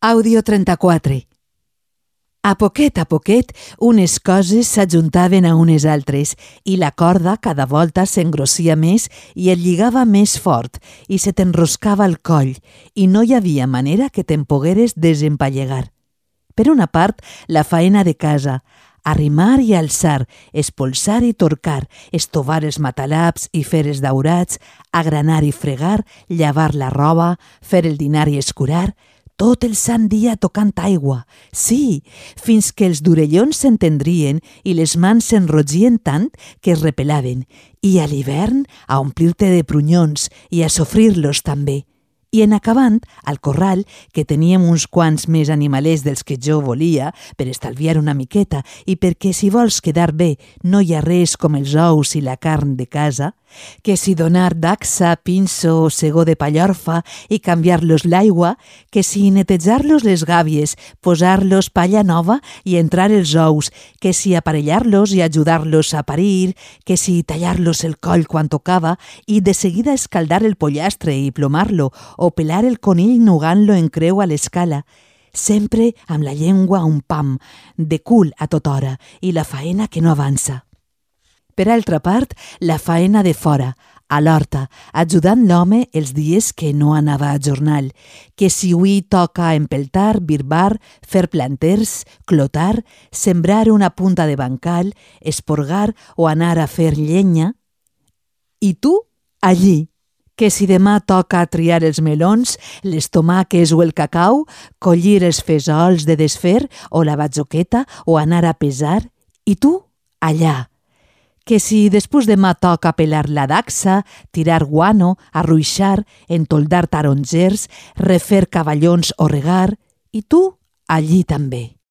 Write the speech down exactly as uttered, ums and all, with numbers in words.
Àudio trenta-quatre. A poquet a poquet, unes coses s'ajuntaven a unes altres i la corda cada volta s'engrossia més i et lligava més fort i se t'enroscava al coll i no hi havia manera que te'n pogueres desempallegar. Per una part, la faena de casa, arrimar i alçar, espolsar i torcar, estovar els matalabs i fer els daurats, agranar i fregar, llavar la roba, fer el dinar i escurar, tot el sant dia tocant aigua, sí, fins que els d'orellons s'entendrien i les mans s'enrotgien tant que es repelaven, i a l'hivern a omplir-te de prunyons i a sofrir-los també. I en acabant, al corral, que teníem uns quants més animalers dels que jo volia, per estalviar una miqueta i perquè si vols quedar bé no hi ha res com els ous i la carn de casa, que si donar dacsa, pinso o segó de pallorfa i canviar-los l'aigua, que si netejar-los les gàbies, posar-los palla nova i entrar els ous, que si aparellar-los i ajudar-los a parir, que si tallar-los el coll quan tocava i de seguida escaldar el pollastre i plomar-lo o pelar el conill nugant-lo en creu a l'escala, sempre amb la llengua a un pam, de cul a tota hora i la faena que no avança. Per altra part, la faena de fora, a l'horta, ajudant l'home els dies que no anava a jornal, que si avui toca empeltar, birbar, fer planters, clotar, sembrar una punta de bancal, esporgar o anar a fer llenya. I tu, allí, que si demà toca triar els melons, les tomàques o el cacau, collir els fesols de desfer o la batzoqueta o anar a pesar, i tu, allà, que si després demà toca pelar la dacsa, tirar guano, arruixar, entoldar tarongers, refer cavallons o regar, i tu allí també.